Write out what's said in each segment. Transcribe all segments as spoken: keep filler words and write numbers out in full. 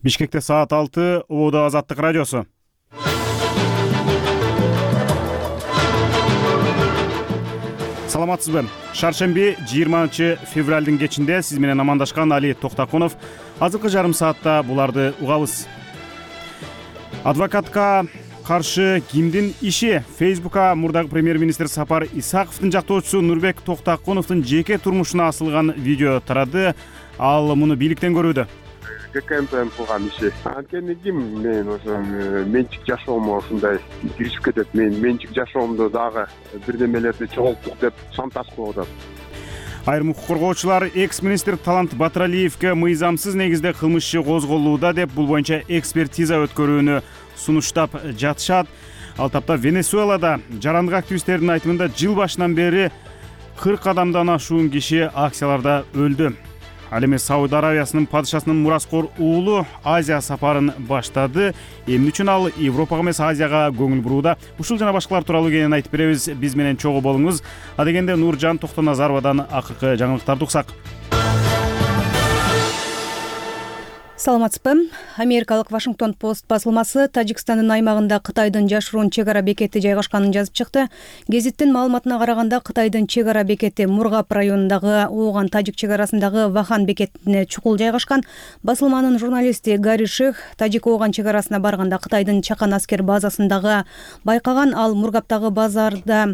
Бишкекте саат алты, Убада Азаттык радиосу. Саламатсызбы? Шаршемби жыйырманчы февралдын кечинде сиз менен амандашкан Али Токтакунов. Азыркы жарым саатта буларды угабыз. Адвокатка каршы кимдин иши? Фейсбукка мурдагы премьер-министр Сапар Исаковдун жактоочусу Нурбек Токтакуновдун жеке турмушуна асылган видео тарады. Ал муну бийликтен көрүүдө. ГКМП кылган иши. Анткени ким мен ошо менчик жашоомго ушундай киришип кетет. Мен менчик жашоомдо дагы бирдемелерди чогулттук деп шантаж кылып атат. Айрым укук коргоочулар экс-министр Талант Батыралиевге мыйзамсыз негизде кылмыш иши козголууда деп бул боюнча экспертиза өткөрүүнү сунуштап жатышат. Ал тапта Венесуэлада жарандык активисттердин айтымында жыл башынан бери кырк адамдан ашуун киши акцияларда өлдү. Ал эми Сауд Аравиясынын падышасынын мураскор уулу Азия сапарын баштады. Эмне үчүн ал Европага эмес Азияга көңүл бурууда? Ушул жана башкалар тууралуу кенен айтып беребиз. Биз менен чогуу болуңуз. А дегенде Нуржан Токтоназаровадан акыркы жаңылыктарды уксак. Саламатсызбы? Америкалык Вашингтон Пост басылмасы Тажикстандын аймагында Кытайдын жашыруун чек ара бекети жайгашканын жазып чыкты. Гезиттин маалыматына караганда Кытайдын чек ара бекети Мургап районундагы Ооган Тажик чек арасындагы Вахан бекетине чукул жайгашкан. Басылманын журналисти Гари Ших Тажик Ооган чек арасына барганда Кытайдын чакан аскер базасындагы байкаган. Ал Мургаптагы базарда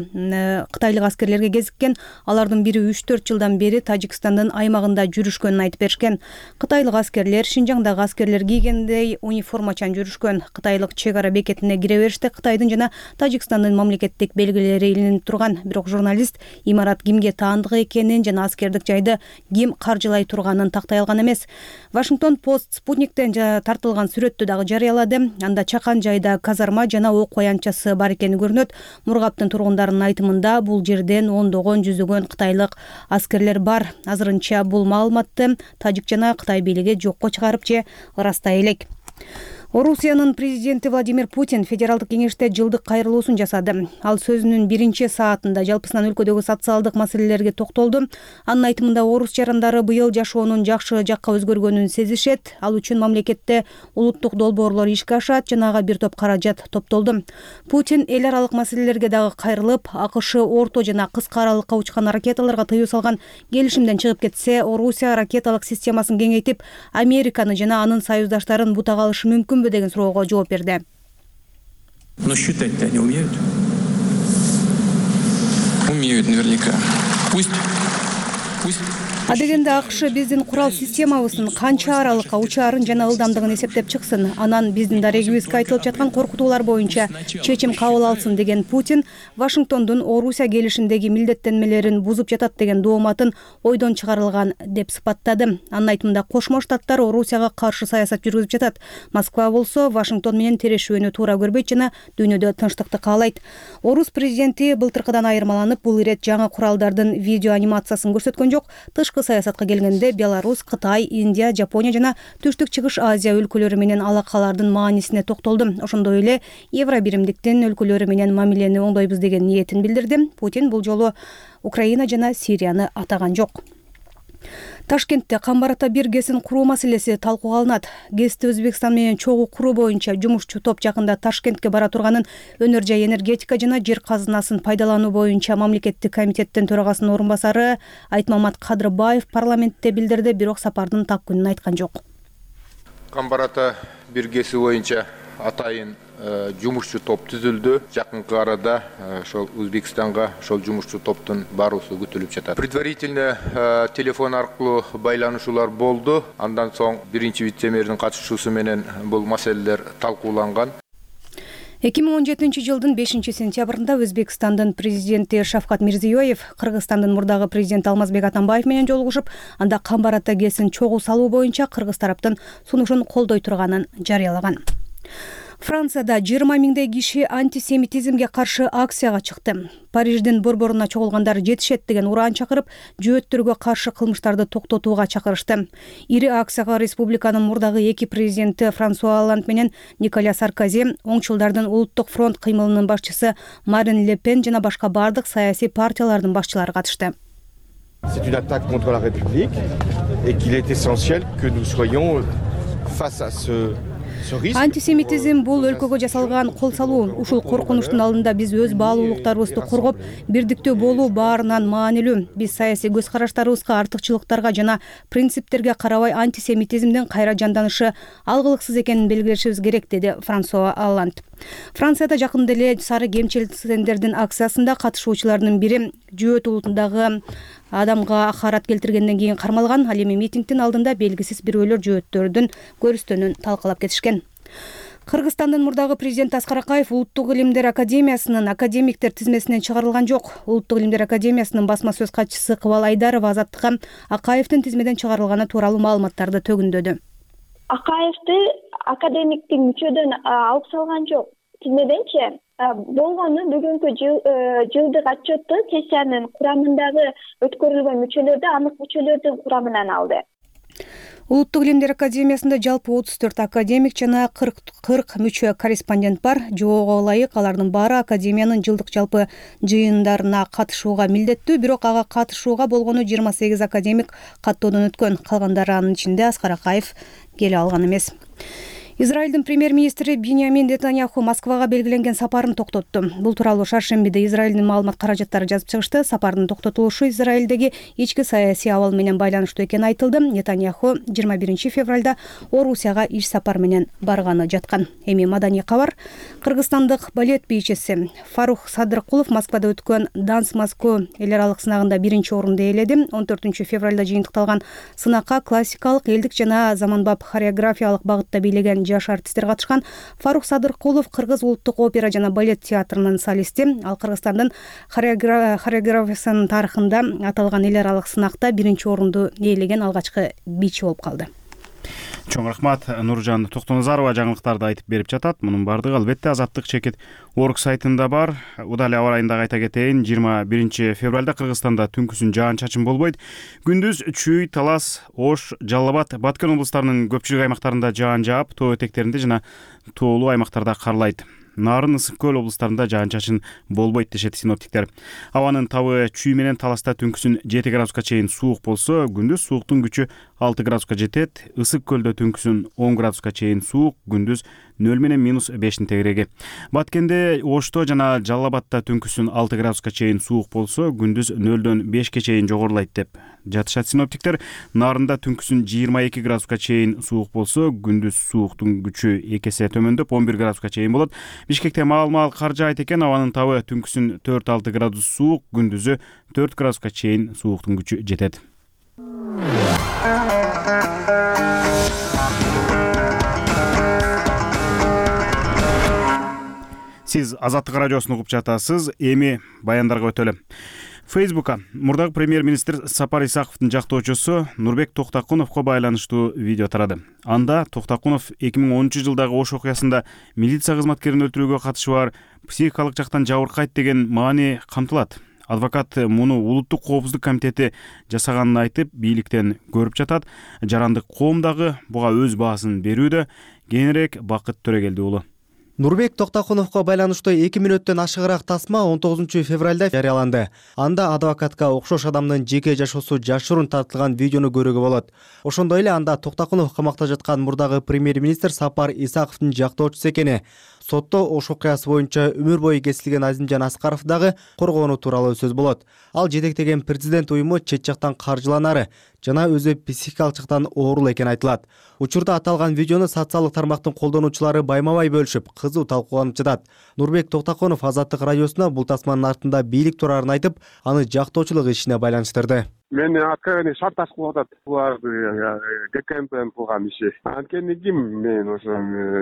кытайлык аскерлерге кезиккен. Алардын бири үч төрт жылдан бери Тажикстандын аймагында жүрүшкөнүн айтып беришкен. Кытайлык аскерлер Шинжаң дагы аскерлер кийгендей униформачан жүрүшкөн. Кытайлык чек ара бекетине кире бериште Кытайдын жана Тажикстандын мамлекеттик белгилери илинип турган. Бирок журналист имарат кимге таандык экенин жана аскердик жайды ким каржылай турганын тактай алган эмес. Вашингтон Пост Спутниктен тартылган сүрөттү дагы жарыялады. Анда чакан жайда казарма жана ок аянтчасы бар экени көрүнөт. Мургаптын тургундарынын айтымында бул жерден ондогон жүзөгөн кытайлык аскерлер бар. Азырынча бул маалыматты Тажик жана Кытай бийлиги жокко чыгарып же ырастай элек. Орусиянын президенти Владимир Путин федералдык кеңеште жылдык кайрылуусун жасады. Ал сөзүнүн биринчи саатында жалпысынан өлкөдөгү социалдык маселелерге токтолду. Анын айтымында орус жарандары быйыл жашоонун жакшы жакка өзгөргөнүн сезишет. Ал үчүн мамлекетте улуттук долбоорлор ишке ашат жана ага бир топ каражат топтолду. Путин эл аралык маселелерге дагы кайрылып, АКШ орто жана кыска аралыкка учкан ракеталарга тыюу салган келишимден чыгып кетсе, Орусия ракеталык системасын кеңейтип, Американы жана анын союздаштарын бутага алышы мүмкүн деген суроого жооп берди. Но считать-то они умеют? Умеют наверняка. Пусть, пусть. А дегенде АКШ биздин курал системабыздын канча аралыкка учаарын жана ылдамдыгын эсептеп чыксын, анан биздин дарегибизге айтылып жаткан коркутуулар боюнча чечим кабыл алсын деген Путин Вашингтондун Орусия келишимдеги милдеттенмелерин бузуп жатат деген дооматын ойдон чыгарылган деп сыпаттады. Анын айтымында Кошмо Штаттар Орусияга каршы саясат жүргүзүп жатат. Москва болсо Вашингтон менен терешүүнү туура көрбөйт жана дүйнөдө тынчтыкты каалайт. Орус президенти былтыркыдан айырмаланып, бул ирет жаңы куралдардын видео анимациясын көрсөткөн жок. Тышкы саясатка келгенде Беларусь, Кытай, Индия, Жапония жана Түштүк Чыгыш Азия өлкөлөрү менен алакалардын маанисине токтолду. Ошондой эле Евро биримдиктин өлкөлөрү менен мамилени оңдойбуз деген ниетин билдирди. Путин бул жолу Украина жана Сирияны атаган жок. Ташкентте Камбарата бир ГЭСин куруу маселеси талкууга алынат. ГЭСти Өзбекстан менен чогуу куруу боюнча жумушчу топ жакында Ташкентке бара турганын өнөр жай энергетика жана жер казынасын пайдалануу боюнча мамлекеттик комитеттин төрагасынын орун басары Айтмамат Кадырбаев парламентте билдирди, бирок сапардын так күнүн айткан жок. Камбарата бир ГЭСи боюнча атайын жумушчу топ түзүлдү. Жакынкы арада ошол Өзбекстанга ошол жумушчу топтун баруусу күтүлүп жатат. Предварительно телефон аркылуу байланышуулар болду. Андан соң биринчи вице-мэрдин катышуусу менен бул маселелер талкууланган. эки миң он жетинчи жылдын бешинчи сентябрында Өзбекстандын президенти Шавкат Мирзиёев Кыргызстандын мурдагы президенти Алмазбек Атамбаев менен жолугушуп, анда Камбарата ГЭСин чогуу салуу боюнча кыргыз тараптын сунушун колдой турганын жарыялаган. Францияда жыйырма миңдей киши антисемитизмге каршы акцияга чыкты. Париждин борборуна чогулгандар жетишет деген ураан чакырып, жөөттөргө каршы кылмыштарды токтотууга чакырышты. Ири акцияга республиканын мурдагы эки президенти Франсуа Олланд менен Николя Саркози, оңчулдардын улуттук фронт кыймылынын башчысы Марин Ле Пен жана башка бардык саясий партиялардын башчылары катышты. C'est une attaque contre la République et qu'il est essentiel que nous soyons face à ce антисемитизм бул өлкөгө жасалган кол салуу. Ушул коркунучтун алдында биз өз баалуулуктарыбызды коргоп, бирдиктүү болуу баарынан маанилүү. Биз саясий көз караштарыбызга, артыкчылыктарга жана принциптерге карабай антисемитизмдин кайра жанданышы алгылыксыз экенин белгилешибиз керек, деди Франсуа Олланд. Францияда жакында эле сары кемчилсендердин акциясында катышуучулардын бири Жөөт улутундагы адамга акарат келтиргенден кийин кармалган. Ал эми митингдин алдында белгисиз бирөөлөр жөөттөрдүн көрүстөнүн талкалап кетишкен. Кыргызстандын мурдагы президенти Аскар Акаев Улуттук илимдер академиясынын академиктер тизмесинен чыгарылган жок. Улуттук илимдер академиясынын басма сөз катчысы Кыбал Айдарова Азаттыкка Акаевдин тизмеден чыгарылганы тууралуу маалыматтарды төгүндөдү. Акаевди академиктик мүчөдөн алып салган жок. Тизмеденчи болгону бүгүнкү жылдык отчетту сессиянын курамындагы өткөрүлгөн мүчөлөрдү анык мүчөлөрдүн курамынан алды. Улуттук илимдер академиясында жалпы отуз төрт академик жана кырк мүчө корреспондент бар. Жоого ылайык алардын баары академиянын жылдык жалпы жыйындарына катышууга милдеттүү, бирок ага катышууга болгону жыйырма сегиз академик каттоодон өткөн. Калгандары анын ичинде Аскар Акаев келе алган эмес. Израилдин премьер-министри Биньямин Нетаньяху Москвага белгиленген сапарын токтотту. Бул тууралуу шаршембиде Израилдин маалымат каражаттары жазып чыгышты. Сапардын токтотулушу Израилдеги ички саясий абал менен байланыштуу экени айтылды. Нетаньяху жыйырма биринчи февралда Орусияга иш сапар менен барганы жаткан. Эми маданий кабар. Кыргызстандык балет бийчиси Фарух Садыркулов Москвада өткөн Данс Москва эл аралык сынагында биринчи орунду ээледи. он төртүнчү февралда жыйынтыкталган сынакка классикалык, элдик жана заманбап хореографиялык багытта бийлеген жаш артисттер катышкан. Фарух Садыркулов Кыргыз улуттук опера жана балет театрынын солисти. Ал Кыргызстандын хореографиясынын тарыхында аталган эл аралык сынакта биринчи орунду ээлеген алгачкы бийчи болуп калды. Чоң рахмат. Нуржан Токтоназарова жаңылыктарды айтып берип жатат. Мунун бардыгы албетте Азаттык чекит орг сайтында бар. Удал аба ырайында айта кетейин, жыйырма биринчи февралда Кыргызстанда түнкүсүн жаан-чачын болбойт. Күндүз Чүй, Талас, Ош, Жалал Абад, Баткен облустарынын көпчүлүк аймактарында жаан жаап, тоо этектеринде жана тоолуу аймактарда карлайт. Нарын, Ысык көл облустарында жаан-чачын болбойт дешет синоптиктер. Абанын табы Чүй менен Таласта түнкүсүн жети градуска чейин суук болсо, күндүз сууктун күчү алты градуска жетет. Ысык көлдө түнкүсүн он градуска чейин суук, күндүз нөл менен минус бештин тегереги. Баткенде, Ошто жана Жалал Абадта түнкүсүн алты градуска чейин суук болсо, күндүз нөлдөн бешке чейин жогорулайт деп жатышат синоптиктер. Нарында түнкүсүн жыйырма эки градуска чейин суук болсо, күндүз сууктун күчү эки эсе төмөндөп он бир градуска чейин болот. Бишкекте маал-маал кар жаайт экен. Абанын табы түнкүсүн төрт алты градус суук, күндүзү төрт градуска чейин сууктун күчү жетет. Сиз Азаттык радиосун угуп жатасыз. Эми баяндарга өтөлү. Фейсбукка мурдагы премьер-министр Сапар Исаковдун жактоочусу Нурбек Токтакуновго байланыштуу видео тарады. Анда Токтакунов эки миң онунчу жылдагы Ош окуясында милиция кызматкерин өлтүрүүгө катышы бар, психикалык жактан жабыркайт деген маани камтылат. Адвокат муну Улуттук коопсуздук комитети жасаганын айтып, бийликтен көрүп жатат. Жарандык коом дагы буга өз баасын берүүдө. Кийинирээк Бакыт Төрөгелди уулу. Нурбек Токтакуновго байланыштуу эки мүнөттөн ашыгыраак тасма он тогузунчу февралда жарыяланды. Анда адвокатка окшош адамдын жеке жашоосу жашыруун тартылган видеону көрүүгө болот. Ошондой эле анда Токтакунов камакта жаткан мурдагы премьер-министр Сапар Исаковдун жактоочусу экени, сотто Ош окуясы боюнча өмүр бою кесилген Азимжан Аскаров дагы коргоону тууралуу сөз болот. Ал жетектеген президент уюму чет жактан каржыланары жана өзү психикалык жактан оорул экени айтылат. Учурда аталган видеону социалдык тармактын колдонуучулары байма-бай бөлүшүп, кызуу талкууланып жатат. Нурбек Токтакунов Азаттык радиосуна бул тасманын артында бийлик турарын айтып, аны жактоочулук ишине байланыштырды. Мени откровенно шарташ кылып атат. Булар ГКМПнын кылган иши. Анткени ким мен ошо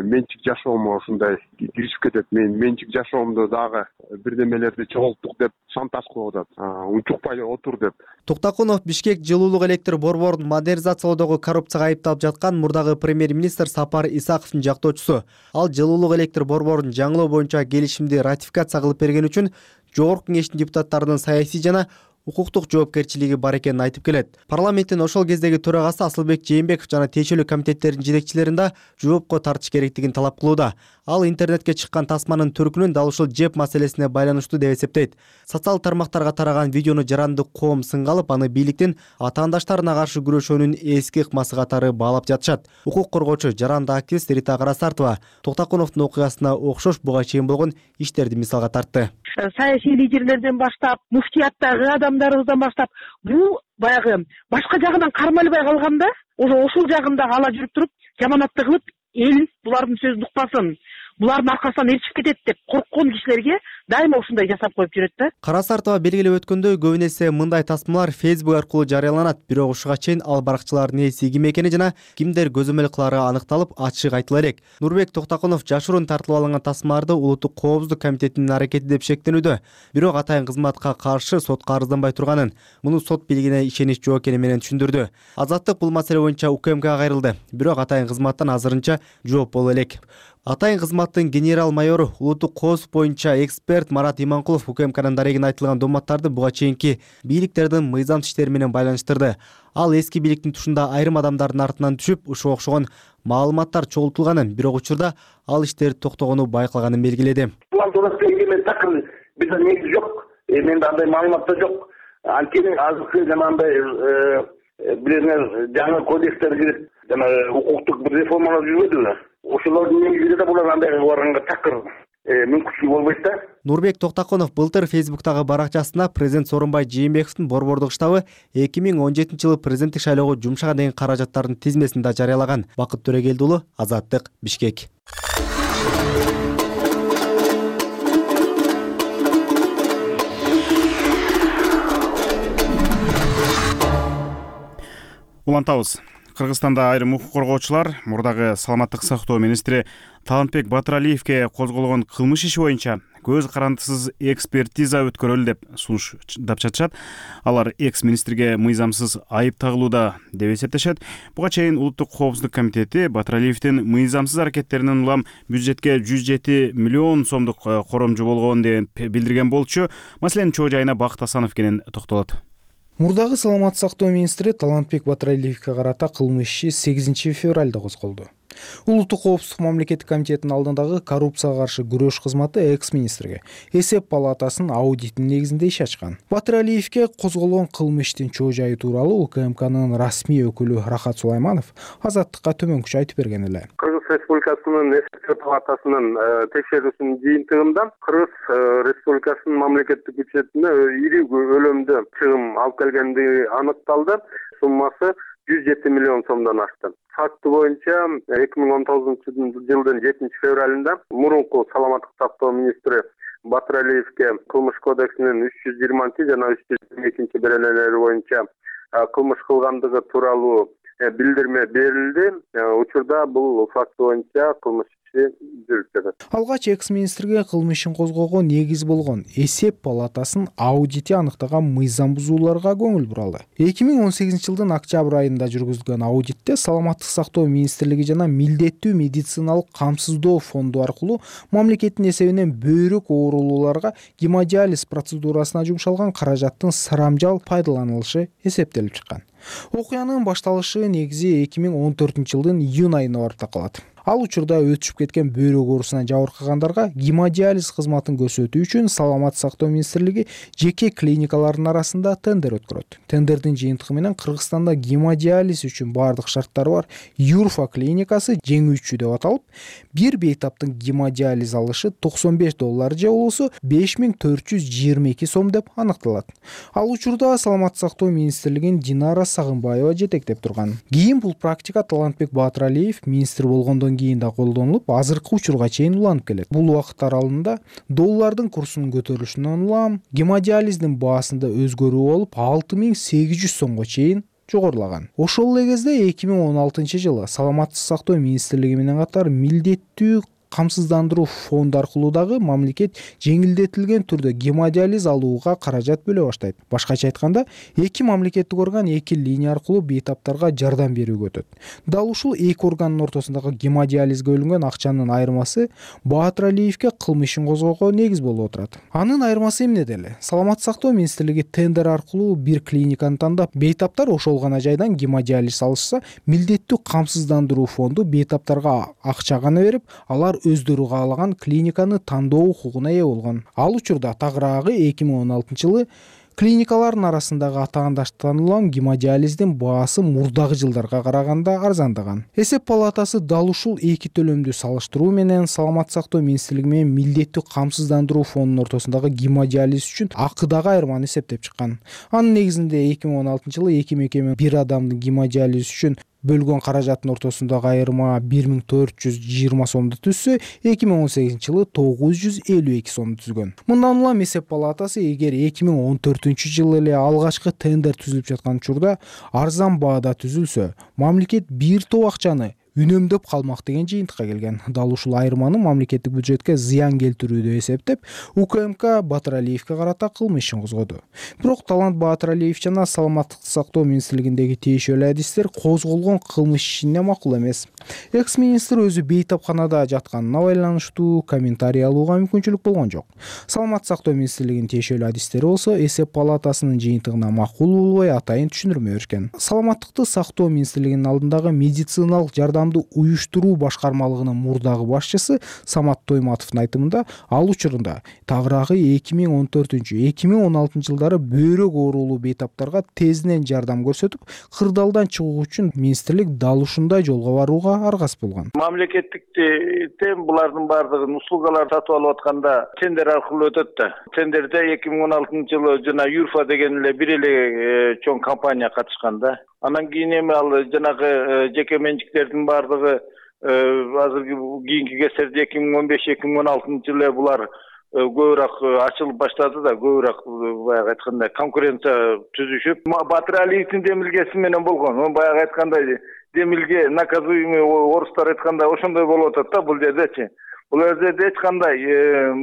менчик жашоомо ушундай киришип кетет. Мен менчик жашоомду дагы бирдемелерди чогулттук деп шантаж кылып атат. Унчукпай отур деп. Токтакунов Бишкек жылуулук электр борборун модернизациялоодогу коррупцияга айыпталып жаткан мурдагы премьер-министр Сапар Исаковдун жактоочусу. Ал жылуулук электр борборун жаңылоо боюнча келишимди ратификация кылып берген үчүн Жогорку кеңештин депутаттарынын саясий жана укуктук жоопкерчилиги бар экенин айтып келет. Парламенттин ошол кездеги төрагасы Асылбек Жээнбеков жана тиешелүү комитеттердин жетекчилерин да жоопко тартыш керектигин талап кылууда. Ал интернетке чыккан тасманын төркүнүн дал ушул жеп маселесине байланыштуу деп эсептейт. Социалдык тармактарга тараган видеону жаранды коом сынга алып, аны бийликтин атаандаштарына каршы күрөшүүнүн эски ыкмасы катары баалап жатышат. Укук коргоочу жаранды активист Рита Карасартова Токтокуновдун окуясына окшош буга чейин болгон иштерди мисалга тартты. Саясий лидерлерден баштап, муфтияттагы адамдарыбыздан баштап, бул баягы башка жагынан кармалбай калганда, ошол жагында ала жүрүп туруп, жаманатты кылып, эл булардын сөзүн укпасын, булардын аркасынан ээрчип кетет деп корккон кишилерге дайыма ушундай жасап коюп жүрөт да. Карасартова белгилеп өткөндөй, көбүн эсе мындай тасмалар Facebook аркылуу жарыяланат, бирок ушуга чейин ал баракчылардын ээси ким экени жана кимдер көзөмөл кылары аныкталып, ачык айтыла элек. Нурбек Токтокунов жашыруун тартылып алынган тасмаларды Улуттук коопсуздук комитетинин аракети деп шектенүүдө, бирок атайын кызматка каршы сотко арызданбай турганын, муну сот бийлигине ишенич жок экени менен түшүндүрдү. Азаттык бул маселе боюнча УКМКга кайрылды, бирок атайын кызматтан азырынча жооп боло элек. Атайын кызматтын генерал-майору, улуттук коопсуздук боюнча эксперт Марат Иманкулов УКМКнын дарегине айтылган дооматтарды буга чейинки бийликтердин мыйзамсыз иштери менен байланыштырды. Ал эски бийликтин тушунда айрым адамдардын артынан түшүп, ушуга окшогон маалыматтар чогултулганын, бирок учурда ал иштер токтогону байкалганын белгиледи. План туурасында мен такыр бизде негиз жок, менде андай маалымат да жок. Анткени азыркы жанагындай бирөөнөр жаңы кодекстер кирип, жана укуктук бир реформалар жүрбөдүбү? Ошолордун негизинде да булар андайга барганга такыр мүмкүнчүлүк болбойт да. Нурбек Токтокунов былтыр Facebook'тагы баракчасына президент Сооронбай Жээнбековдун борбордук штабы эки миң он жетинчи жылы президенттик шайлоого жумшаган деген каражаттардын тизмесин да жарыялаган. Бакыт Төрөгелди уулу, Азаттык, Бишкек. Улантабыз. Кыргызстанда айрым укук коргоочулар мурдагы саламаттык сактоо министри Талантбек Батыралиевке козголгон кылмыш иши боюнча көз карандысыз экспертиза өткөрөлү деп сунуштап жатышат. Алар экс-министрге мыйзамсыз айып тагылууда деп эсептешет. Буга чейин Улуттук коопсуздук комитети Батыралиевдин мыйзамсыз аракеттеринен улам бюджетке жүз жети миллион сомдук коромжу болгон деп билдирген болчу. Маселенин чоо жайына Бакыт Асанов кенен токтолот. Мурдагы саламаттык сактоо министри Талантбек Батыралиевке карата кылмыш иши сегизинчи февралда козголду. Улуттук коопсуздук мамлекеттик комитетинин алдындагы коррупцияга каршы күрөш кызматы экс-министрге эсеп палатасынын аудитинин негизинде иш ачкан. Батыралиевке козголгон кылмыштын чоо жайы тууралуу УКМКнын расмий өкүлү Рахат Сулайманов Азаттыкка төмөнкүчө айтып берген эле. Кыргыз Республикасынын эсеп палатасынын текшерүүсүнүн жыйынтыгында Кыргыз Республикасынын мамлекеттик бюджетине ири көлөмдө чыгым алып келгендиги аныкталды. Суммасы жүз жети миллион сомдон ашты. Факты боюнча эки миң он тогузунчу жылдын жетинчи февралында мурунку саламаттык сактоо министри Батыралиевке кылмыш кодексинин үч жүз жыйырманчы жана үч жүз жыйырма экинчи беренелери боюнча кылмыш кылгандыгы тууралуу билдирме берилди. Учурда бул факт боюнча кылмыш иши жүрүп жатат. Алгач экс-министрге кылмыш ишин козгоого негиз болгон эсеп палатасынын аудити аныктаган мыйзам бузууларга көңүл буралды. эки миң он сегизинчи жылдын октябрь айында жүргүзүлгөн аудитте саламаттык сактоо министрлиги жана милдеттүү медициналык камсыздоо фонду аркылуу мамлекеттин эсебинен бөйрөк оорулууларга гемодиализ процедурасына жумшалган каражаттын сарамжал пайдаланылышы эсептелип чыккан. Окуянын башталышы негизи эки миң он төртүнчү жылдын июнь айына барып такалат. Ал учурда өтүшүп кеткен бөйрөк оорусуна жабыркагандарга гемодиализ кызматын көрсөтүү үчүн Саламаттык сактоо министрлиги жеке клиникалардын арасында тендер өткөрөт. Тендердин жыйынтыгы менен Кыргызстанда гемодиализ үчүн бардык шарттары бар Юрфа клиникасы жеңүүчү деп аталып, бир бейтаптын гемодиализ алышы токсон беш доллар же болбосо беш миң төрт жүз жыйырма эки сом деп аныкталат. Ал учурда Саламаттык сактоо министрлигин Динара Сагынбаева жетектеп турган. Кийин бул практика Талантбек Батыралиев министр болгондон кийин да колдонулуп, азыркы учурга чейин уланып келет. Бул убакыт аралыгында доллардын курсунун көтөрүлүшүнөн улам гемодиализдин баасында өзгөрүү болуп, алты миң сегиз жүз сомго чейин жогорулаган. Ошол эле кезде эки миң он алтынчы жылы Саламаттык сактоо министрлиги менен катар милдеттүү камсыздандыруу фонду аркылуу дагы мамлекет жеңилдетилген түрдө гемодиализ алууга каражат бөлө баштайт. Башкача айтканда, эки мамлекеттик орган эки линия аркылуу бейтаптарга жардам берүүгө өтөт. Дал ушул эки органдын ортосундагы гемодиализге бөлүнгөн акчанын айырмасы Баатыр Алиевге кылмыш ишин козгоого негиз болуп отурат. Анын айырмасы эмнеде эле? Саламаттык сактоо министрлиги тендер аркылуу бир клиниканы тандап, бейтаптар ошол гана жайдан гемодиализ алышса, милдеттүү камсыздандыруу фонду бейтаптарга акча гана берип, алар өздөрү каалаган клиниканы тандоо укугуна ээ болгон. Ал учурда тагыраагы эки миң он алтынчы жылы клиникалардын арасындагы атаандаштырылган гемодиализдин баасы мурдагы жылдарга караганда арзандаган. Эсеп палатасы дал ушул эки төлөмдү салыштыруу менен Саламаттык сактоо министрлиги менен милдеттүү камсыздандыруу фондунун ортосундагы гемодиализ үчүн акыдагы айырманы эсептеп чыккан. Анын негизинде эки миң он алтынчы жылы эки мекеме бир адамдын гемодиализ үчүн бөлгөн каражаттын ортосундагы айырма бир миң төрт жүз жыйырма сомду түзсө, эки миң он сегизинчи жылы тогуз жүз элүү эки сомду түзгөн. Мындан улам эсеп палатасы эгер эки миң он төртүнчү жылы эле алгачкы тендер түзүлүп жаткан учурда арзан баада түзүлсө, мамлекет бир топ акчаны үнөмдөп калмак деген жыйынтыкка келген. Дал ушул айырманы мамлекеттик бюджетке зыян келтирүүдө эсептеп, УКМК Баатыр Алиевге карата кылмыш ишин козгоду. Бирок Талант Баатыр Алиев жана Саламаттык сактоо министрлигиндеги тиешелүү адистер козголгон кылмыш ишине макул эмес. Экс-министр өзү бейтапканада жатканына байланыштуу комментарий алууга мүмкүнчүлүк болгон жок. Саламаттык сактоо министрлигинин тиешелүү адистери болсо эсеп палатасынын жыйынтыгына макул болбой атайын түшүндүрмө беришкен. Саламаттыкты сактоо министрлигинин алдындагы медициналык жардам уюштуруу башкармалыгынын мурдагы башчысы Самат Тойматовдун айтымында, ал учурунда тагыраагы эки миң он төртүнчү — эки миң он алтынчы жылдары бөйрөк оорулуу бейтаптарга тезден жардам көрсөтүп, кырдаалдан чыгуу үчүн министрлик дал ушундай жолго барууга аргасыз болгон. Мамлекеттиктен булардын баардыгын услугалар сатып алып атканда тендер аркылуу өтөт да. Тендерде эки миң он алтынчы жылы жана Юрфа деген эле бир эле чоң компания катышкан да. Анан кийин эми ал жанагы жеке менчиктердин баардыгы азыркы кийинки кездерде эки миң он беш — эки миң он алтынчы жылы булар көбүрөөк ачылып баштады да, көбүрөөк баягы айткандай конкуренция түзүшүп, Баатыр Алиевдин демилгеси менен болгон. Баягы айткандай демилге наказуемый орустар айткандай ошондой болуп атат да бул жердечи. Бул жерде эч кандай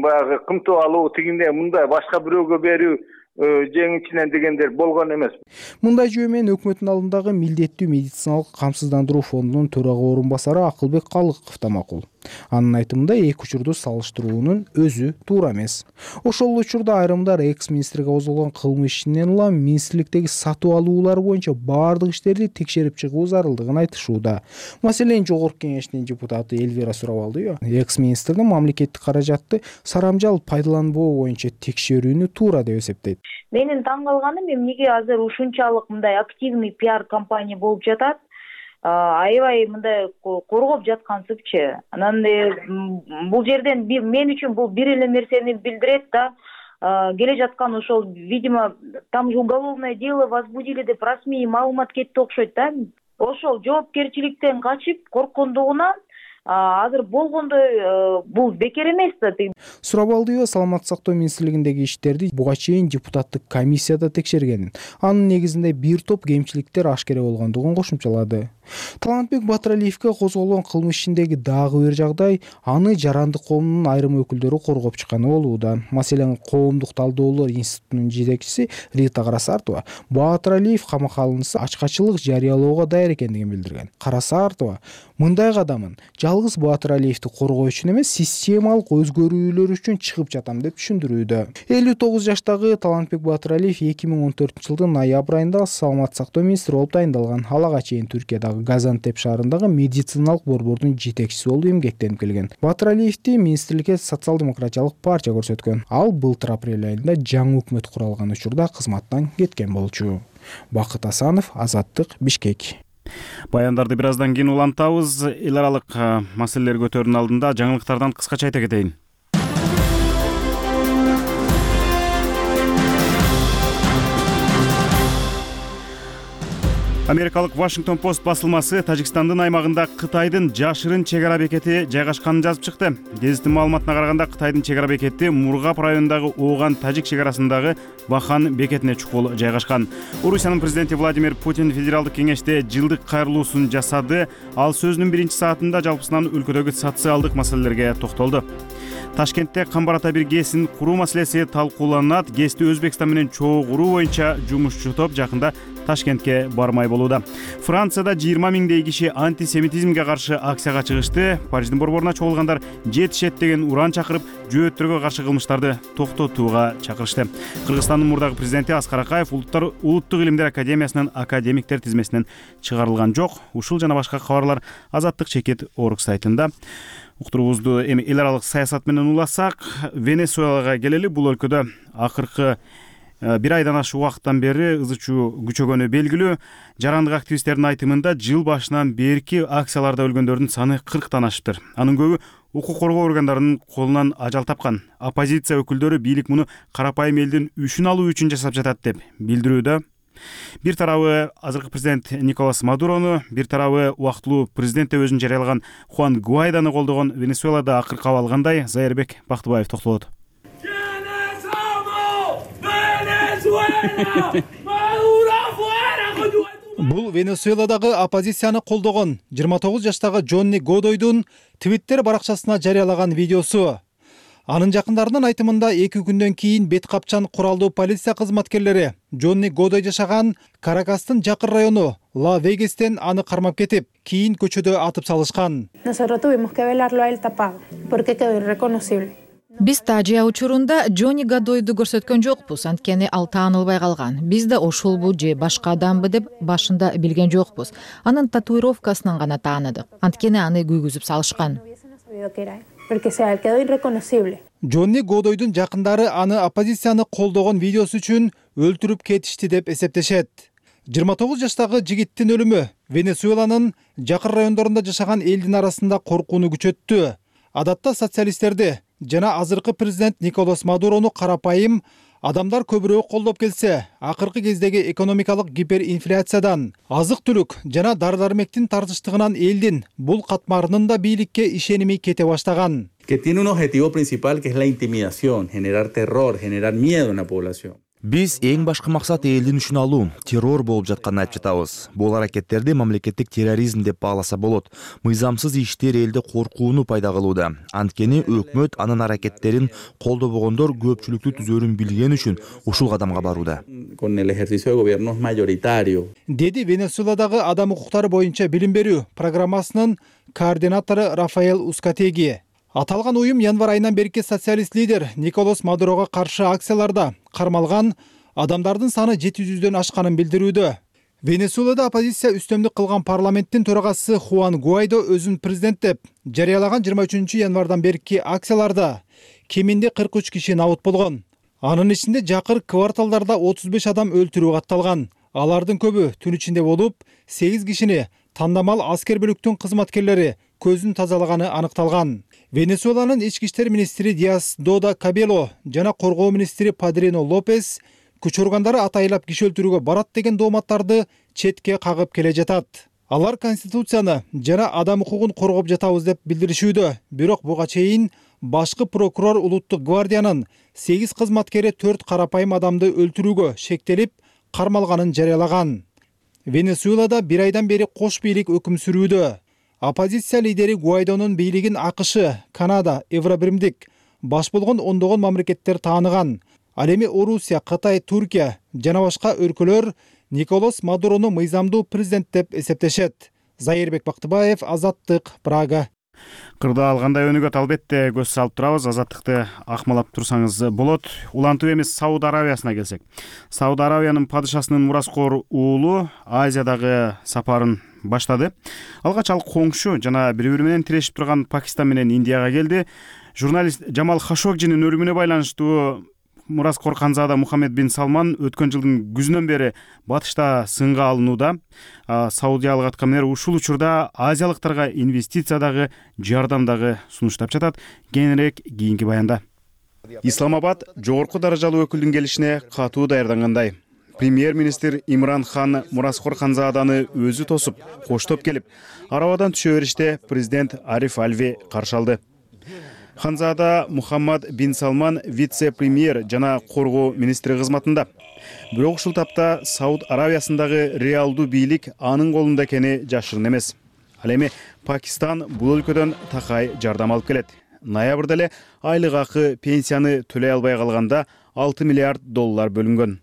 баягы кымтоо алуу, тигине мындай башка бирөөгө берүү жеңичинен дегендер болгон эмес. Мындай жөө менен өкмөттүн алдындагы милдеттүү медициналык камсыздандыруу фондунун төрага орун басары Акылбек Калыков да макул. Анын айтымында эки учурду салыштыруунун өзү туура эмес. Ошол учурда айрымдар экс-министрге козголгон кылмыш ишинен улам министрликтеги сатып алуулар боюнча баардык иштерди текшерип чыгуу зарылдыгын айтышууда. Маселен, Жогорку Кеңештин депутаты Элвира Сурабалдиева экс-министрдин мамлекеттик каражатты сарамжал пайдаланбоо боюнча текшерүүнү туура деп эсептейт. Менин таң калганым эмнеге азыр ушунчалык мындай активный пиар компания болуп жатат, аябай мындай коргоп жаткансыпчы. Анан бул жерден мен үчүн бул бир эле нерсени билдирет да, келе жаткан ошол, видимо, там уголовное дело возбудили деп расмий маалымат кетти окшойт да. Ошол жоопкерчиликтен качып корккондугунан азыр болгондой бул бекер эмес да. Сурабалдиева Саламаттык сактоо министрлигиндеги иштерди буга чейин депутаттык комиссияда текшергенин, анын негизинде бир топ кемчиликтер ашкере болгондугун кошумчалады. Талантбек Баатыр Алиевге козголгон кылмыш ишиндеги дагы бир жагдай аны жарандык коомдун айрым өкүлдөрү коргоп чыкканы болууда. Маселен, Коомдук талдоолор институтунун жетекчиси Рита Карасартова Баатыр Алиев камакка алынса ачкачылык жарыялоого даяр экендигин билдирген. Карасартова мындай кадамын жалгыз Баатыр Алиевди коргоо үчүн эмес, системалык өзгөрүүлөр үчүн чыгып жатам деп түшүндүрүүдө. элүү тогуз жаштагы Талантбек Баатыр Алиев эки миң он төртүнчү жылдын ноябрь айында Саламаттык сактоо министри болуп тайындалган. Ага чейин Түркиядагы Газантеп шаарындагы медициналык борбордун жетекчиси болуп эмгектенип келген. Баатыр Алиевди министрликке социал-демократиялык партия көрсөткөн. Ал былтыр апрель айында жаңы өкмөт куралган учурда кызматтан кеткен болчу. Бакыт Асанов, Азаттык, Бишкек. Баяндарды бир аздан кийин улантабыз. Эл аралык маселелер көтөрүүнүн алдында жаңылыктардан кыскача айта кетейин. Америкалык Вашингтон Пост басылмасы Тажикстандын аймагында Кытайдын жашырын чек ара бекети жайгашканын жазып чыкты. Гезиттин маалыматына караганда Кытайдын чек ара бекети Мургап районундагы Ооган Тажик чек арасындагы Бахан бекетине чукул жайгашкан. Орусиянын президенти Владимир Путин федералдык кеңеште жылдык кайрылуусун жасады. Ал сөзүнүн биринчи саатында жалпысынан өлкөдөгү социалдык маселелерге токтолду. Ташкентте Камбар ата бир ГЭСин куруу маселеси талкууланат. ГЭСти Өзбекстан менен чогуу куруу боюнча жумушчу топ жакында Ташкентке бармай болууда. Францияда жыйырма миңдей киши антисемитизмге каршы акцияга чыгышты. Париждин борборуна чогулгандар жетишет деген уран чакырып, жөөттөргө каршы кылмыштарды токтотууга чакырышты. Кыргызстандын мурдагы президенти Аскар Акаев улуттар улуттук илимдер академиясынын академиктер тизмесинен чыгарылган жок. Ушул жана башка кабарлар Азаттык чекит Орг сайтында. Уктуруубузду эми эл аралык саясат менен уласак, Венесуэлага келели. Бул өлкөдө акыркы бир айдан ашык убакыттан бери ызы чуу күчөгөнү белгилүү. Жарандык активисттердин айтымында жыл башынан берки акцияларда өлгөндөрдүн саны кырктан ашыптыр. Анын көбү укук коргоо органдарынын колунан ажал тапкан. Оппозиция өкүлдөрү бийлик муну карапайым элдин үчүн алуу үчүн жасап жатат деп билдирүүдө. Бир тарабы азыркы президент Николас Мадурону, бир тарабы убактылуу президент деп өзүн жарыялаган Хуан Гуайдону колдогон Венесуэлада акыркы абал кандай? Зайырбек Бактыбаев токтолот. Бул Венесуэладагы оппозицияны колдогон жыйырма тогуз жаштагы Джонни Годойдун Твиттер баракчасына жарыялаган видеосу. Анын жакындарынын айтымында эки күндөн кийин бет капчан куралдуу полиция кызматкерлери Джонни Годой жашаган Каракастын жакын району Ла Вегастен аны кармап кетип, кийин көчөдө атып салышкан. Биз тажия учурунда Джонни Годойду көрсөткөн жокпуз, анткени ал таанылбай калган. Биз да ошолбу же башка адамбы деп башында билген жокпуз. Анын татуировкасынан гана тааныдык, анткени аны күйгүзүп салышкан. Джонни Годойдун жакындары аны оппозицияны колдогон видеосу үчүн өлтүрүп кетишти деп эсептешет. жыйырма тогуз жаштагы жигиттин өлүмү Венесуэланын жакын райондорунда жашаган элдин арасында коркууну күчөттү. Адатта социалисттерди жана азыркы президент Николас Мадурону карапайым адамдар көбүрөөк колдоп келсе, акыркы кездеги экономикалык гиперинфляциядан, азык-түлүк жана дары-дармектин тартыштыгынан элдин бул катмарынын да бийликке ишеними кете баштаган. Que tiene un objetivo principal que es la intimidación, generar terror, generar miedo en la población. Биз эң башкы максат элдин үчүн алуу, террор болуп жатканын айтып жатабыз. Бул аракеттерди мамлекеттик терроризм деп бааласа болот. Мыйзамсыз иштер элде коркууну пайда кылууда. Анткени өкмөт анын аракеттерин колдобогондор көпчүлүктү түзөрүн билген үчүн ушул кадамга барууда. Con el ejercicio de gobiernos mayoritario. Деди Венесуэладагы адам укуктары боюнча билим берүү программасынын координатору Рафаэл Ускатеги. Аталган уюм январь айынан берки социалист лидер Николас Мадурога каршы акцияларда кармалган адамдардын саны жети жүздөн ашканын билдирүүдө. Венесуэлада оппозиция үстөмдүк кылган парламенттин төрагасы Хуан Гуайдо өзүн президент деп жарыялаган жыйырма үчүнчү январдан берки акцияларда кеминде кырк үч киши набыт болгон. Анын ичинде жакыр кварталдарда отуз беш адам өлтүрүү катталган. Алардын көбү түн ичинде болуп, сегиз кишини тандамал аскер бөлүктүн кызматкерлери көзүн тазалаганы аныкталган. Венесуэланын ички иштер министри Диас Дода Кабело жана коргоо министри Падрино Лопес күч органдары атайлап киши өлтүрүүгө барат деген дооматтарды четке кагып келе жатат. Алар конституцияны жана адам укугун коргоп жатабыз деп билдиришүүдө, бирок буга чейин башкы прокурор улуттук гвардиянын сегиз кызматкери төрт карапайым адамды өлтүрүүгө шектелип кармалганын жарыялаган. Венесуэлада бир айдан бери кош бийлик өкүм сүрүүдө. Оппозиция лидери Гуайдонун бийлигин АКШ, Канада, Евробиримдик баш болгон ондогон мамлекеттер тааныган. Ал эми Орусия, Кытай, Туркия жана башка өлкөлөр Николас Мадурону мыйзамдуу президент деп эсептешет. Зайырбек Бактыбаев, Азаттык, Прага. Кырдаал кандай өнүгөт, албетте көз салып турабыз. Азаттыкты акмалап турсаңыз болот. Улантуу эмес Сауд Аравиясына келсек. Сауд Аравиянын падышасынын мураскор уулу Азиядагы сапарын баштады. Алгач ал коңшу жана бири-бири менен тирешип турган Пакистан менен Индияга келди. Журналист Жамал Хашогжинин өлүмүнө байланыштуу Мураскор Ханзада Мухаммед бин Салман өткөн жылдын күзүнөн бери батышта сынга алынууда. Саудиялык аткаминер ушул учурда азиялыктарга инвестициядагы, жардамдагы сунуштап жатат. Кененирээк кийинки баянда. Исламабад жогорку даражалуу өкүлдүн келишине катуу даярдангандай. премьер-министр Имран хан Мураскор Ханзаданы өзү тосуп, коштоп келип, арабадан түшө бериште президент Ариф Алви каршы алды. Ханзада Мухаммад бин Салман вице-премьер жана коргоо министри кызматында. Бирок ушул тапта Сауд Аравиясындагы реалдуу бийлик анын колунда экени жашырын эмес. Ал эми Пакистан бул өлкөдөн такай жардам алып келет. Ноябрда эле айлык акы, пенсияны төлөй албай калганда алты миллиард доллар бөлүнгөн.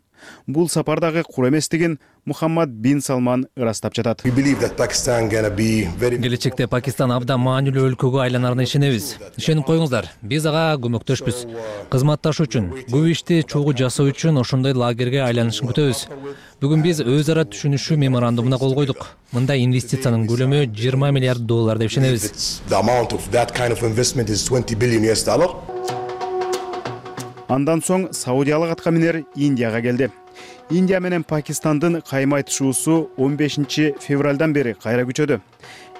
Бул сапардагы кур эместигин Мухаммад бин Салман ырастап жатат. Келечекте Пакистан абдан маанилүү өлкөгө айланарына ишенебиз. Ишенип коюңуздар, биз ага көмөктөшпүз. Кызматташуу үчүн, көп ишти чогуу жасоо үчүн ошондой лагерге айланышын күтөбүз. Бүгүн биз өз ара түшүнүшүү меморандумуна кол койдук. Мында инвестициянын көлөмү жыйырма миллиард доллар деп ишенебиз. Андан соң Саудиялык атка минер Индияга келди. Индия менен Пакистандын кайма айтышуусу он бешинчи февралдан бери кайра күчөдү.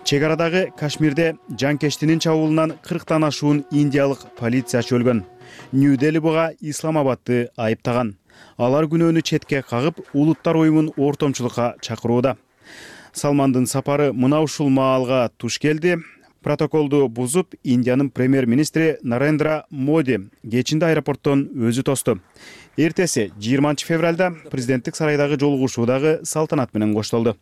Чек арадагы Кашмирде жанкештинин чабуулунан кырктан ашуун индиялык полициячы өлгөн. Нью-Дели буга Исламабадты айыптаган. Алар күнөөнү четке кагып, улуттар уюмун ортомчулукка чакырууда. Салмандын сапары мына ушул маалга туш келди. Протоколду бузуп, Индиянын премьер-министри Нарендра Моди кечинде аэропорттон өзү тосту. Эртеси жыйырманчы февралда президенттик сарайдагы жолугушуудагы салтанат менен коштолду.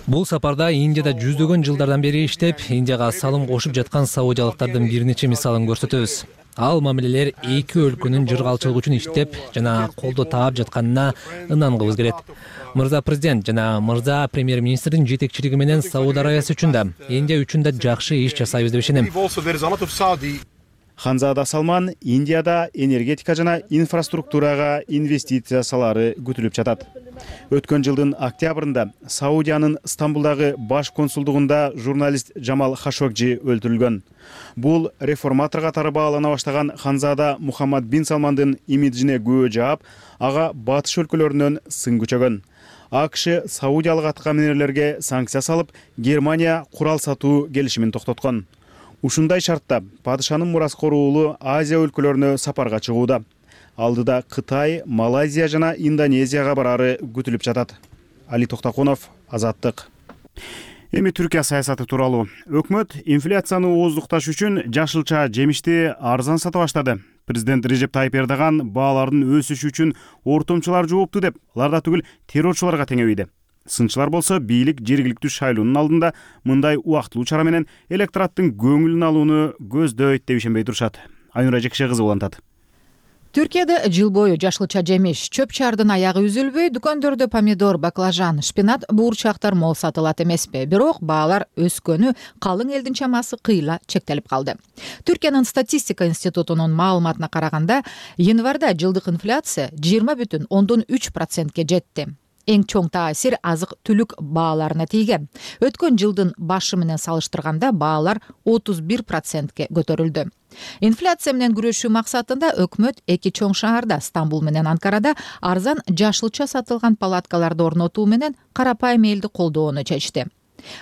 Бул сапарда Индияда жүздөгөн жылдардан бери иштеп, Индияга салым кошуп жаткан саудиялыктардын бир нече мисалын көрсөтөбүз. Ал мамилелер эки өлкөнүн жыргалчылыгы үчүн иштеп жана колдоо таап жатканына ынангыбыз келет. Мырза президент жана мырза премьер-министрдин жетекчилиги менен Сауд Аравиясы үчүн да, Индия үчүн да жакшы иш жасайбыз деп ишенем. Ханзада Салман Индияда энергетика жана инфраструктурага инвестиция салары күтүлүп жатат. Өткөн жылдын октябрында Саудиянын Стамбулдагы баш консулдугунда журналист Жамал Хашогжи өлтүрүлгөн. Бул реформатор катары баалана баштаган Ханзада Мухаммад бин Салмандын имиджине күбө жаап, ага батыш өлкөлөрүнөн сын күчөгөн. АКШ саудиялык атка минерлерге санкция салып, Германия курал сатуу келишимин токтоткон. Ушундай шартта падышанын Мураскор уулу Азия өлкөлөрүнө сапарга чыгууда. Алдыда Кытай, Малайзия жана Индонезияга барары күтүлүп жатат. Али Токтокунов, Азаттык. Эми Түркия саясаты тууралуу. Өкмөт инфляцияны ооздукташ үчүн жашылча жемишти арзан сата баштады. Президент Режеп Тайып Эрдоган баалардын өсүшү үчүн ортомчулар жоопту деп, алар да түгүл террорчуларга теңебейди. Сынчылар болсо бийлик жергиликтүү шайлоонун алдында мындай убактылуу чара менен электораттын көңүлүн алууну көздөйт деп ишенбей турушат. Айнура Жекше кызы улантат. Түркияда жыл бою жашылча жемиш, чөп чардын аягы үзүлбөй, дүкөндөрдө помидор, баклажан, шпинат, буурчактар мол сатылат эмеспи. Бирок баалар өскөнү калың элдин чамасы кыйла чектелип калды. Түркиянын статистика институтунун маалыматына караганда, январда жылдык инфляция жыйырма бүтүн ондон үч процентке жетти. Эң чоң таасир азык-түлүк бааларына тийген. Өткөн жылдын башы менен салыштырганда баалар отуз бир процентке көтөрүлдү. Инфляция менен күрөшүү максатында өкмөт эки чоң шаарда, Стамбул менен Анкарада арзан жашылча сатылган палаткаларды орнотуу менен карапайым элди колдоону чечти.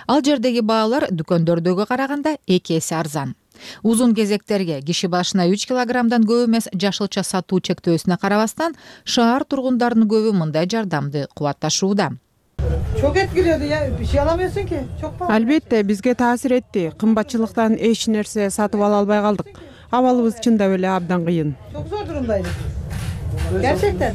Ал жердеги баалар дүкөндөрдөгү караганда эки эсе арзан. Узун кезектерге киши башына үч килограммдан көп эмес жашылча сатуу чектөөсүнө карабастан, шаар тургундарынын көбү мындай жардамды кубатташууда. Çok etkiledi ya. Bir şey alamıyorsun ki. Çok pahalı. Albatta bizge taasir etdi. Kımbatçılıktan eç nerse satıp ala albay kaldık. Avalыбыз чында эле абдан кыйын. Çok zor durumdaydık. Gerçekten.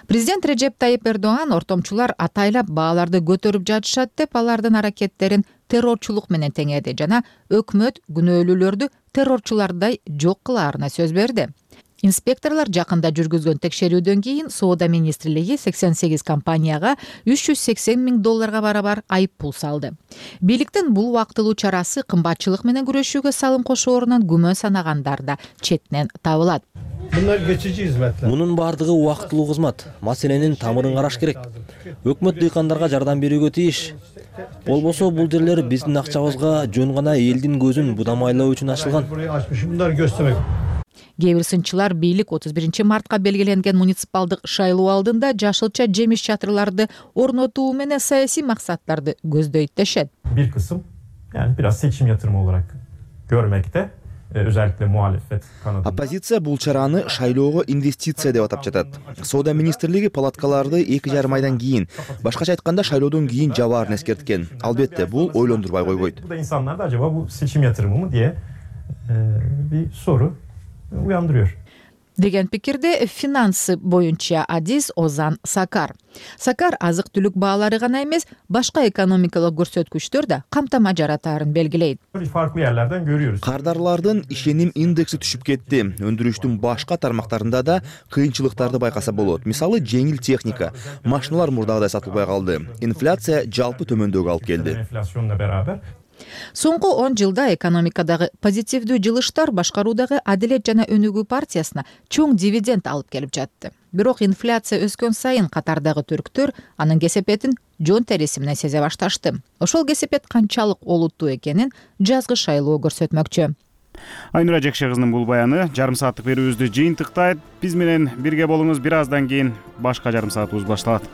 Президент Режеп Тайып Эрдоган ортомчулар атайлап бааларды көтөрүп жатышат деп алардын аракеттерин террорчулук менен теңеди жана өкмөт күнөөлүүлөрдү террорчулардай жок кылаарына сөз берди. Инспекторлор жакында жүргүзгөн текшерүүдөн кийин Соода министрлиги сексен сегиз компанияга үч жүз сексен миң долларга барабар айып пул салды. Бийликтин бул убактылуу чарасы кымбатчылык менен күрөшүүгө салым кошоорунан күмөн санагандар да четинен табылат. Мунун бардыгы убактылуу кызмат. Маселенин тамырын караш керек. Өкмөт дыйкандарга жардам берүүгө тийиш. Болбосо бул жерлер биздин акчабызга жөн гана элдин көзүн будамайлоо үчүн ачылган. Кээ бир сынчылар бийлик отуз биринчи мартка белгиленген муниципалдык шайлоо алдында жашылча жемиш чатырларды орнотуу менен саясий максаттарды көздөйт дешет. Bir kısım yani biraz seçim yatırımı olarak görmekte. özellikle muhalefet kanadında. Оппозиция бул чараны шайлоого инвестиция деп атап жатат. Соода министрлиги палаткаларды эки жарым айдан кийин, башкача айтканда шайлоодон кийин жабаарын эскерткен. Албетте бул ойлондурбай койбойт. Bu da insanlarda acaba bu seçim yatırımı mı diye bir soru uyandırıyor. Деген пикирде финансы боюнча адис Озан Сакар. Сакар азык түлүк баалары гана эмес, башка экономикалык көрсөткүчтөр да камтама жаратаарын белгилейт. Farklı yerlerden görüyoruz. Кардарлардын ишеним индекси түшүп кетти. Өндүрүштүн башка тармактарында да кыйынчылыктарды байкаса болот. Мисалы, жеңил техника, машиналар мурдагыдай сатылбай калды. Инфляция жалпы төмөндөгө алып келди. Enflasyonla beraber Соңку он жылда экономикадагы позитивдүү жылыштар башкаруудагы Адилет жана Өнүгүү партиясына чоң дивиденд алып келип жатты. Бирок инфляция өскөн сайын катардагы түрктөр анын кесепетин жон териси менен сезе башташты. Ошол кесепет канчалык олуттуу экенин жазгы шайлоо көрсөтмөкчү. Айнура Жекше кызынын бул баяны жарым сааттык берүүбүздү жыйынтыктайт. Биз менен бирге болуңуз, бир аздан кийин башка жарым саатыбыз башталат.